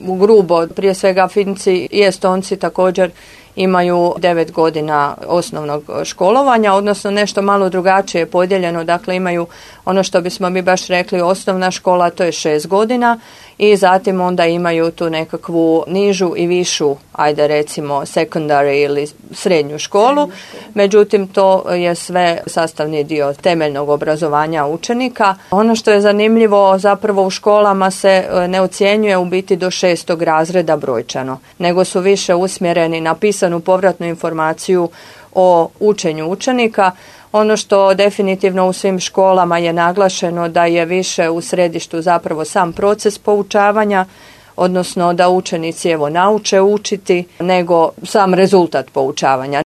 U grubo, prije svega Finci i Estonci također imaju 9 godina osnovnog školovanja, odnosno nešto malo drugačije podijeljeno, dakle imaju ono što bismo mi baš rekli osnovna škola, to je 6 godina i zatim onda imaju tu nekakvu nižu i višu, ajde recimo secondary ili srednju školu, međutim to je sve sastavni dio temeljnog obrazovanja učenika. Ono što je zanimljivo, zapravo u školama se ne ocjenjuje u biti do 6. razreda brojčano, nego su više usmjereni na pisanu povratnu informaciju o učenju učenika. Ono što definitivno u svim školama je naglašeno da je više u središtu zapravo sam proces poučavanja, odnosno da učenici nauče učiti, nego sam rezultat poučavanja.